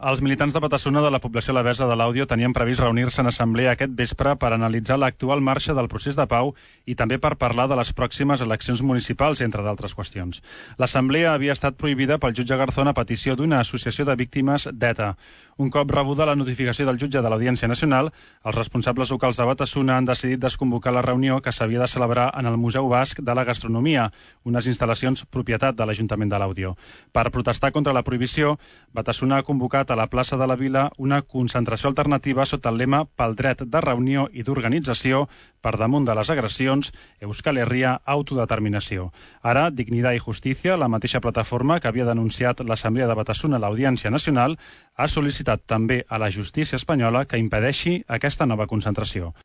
Els militants de Batasuna de la població alavesa de l'Àudio tenien previst reunir-se en assemblea aquest vespre per analitzar l'actual marxa del procés de pau i també per parlar de les pròximes eleccions municipals, entre d'altres qüestions. L'assemblea havia estat prohibida pel jutge Garzón a petició d'una associació de víctimes d'ETA. Un cop rebuda la notificació del jutge de l'Audiència Nacional, els responsables locals de Batasuna han decidit desconvocar la reunió que s'havia de celebrar en el Museu Basc de la Gastronomia, unes instal·lacions propietat de l'Ajuntament de l'Àudio. Per protestar contra la prohibició, Batasuna ha convocat a la plaça de la Vila una concentració alternativa sota el lema pel dret de reunió i d'organització per damunt de les agressions, Euskal Herria, autodeterminació. Ara, Dignidad i Justícia, la mateixa plataforma que havia denunciat l'Assemblea de Batasuna a l'Audiència Nacional, ha sol·licitat també a la justícia espanyola que impedeixi aquesta nova concentració.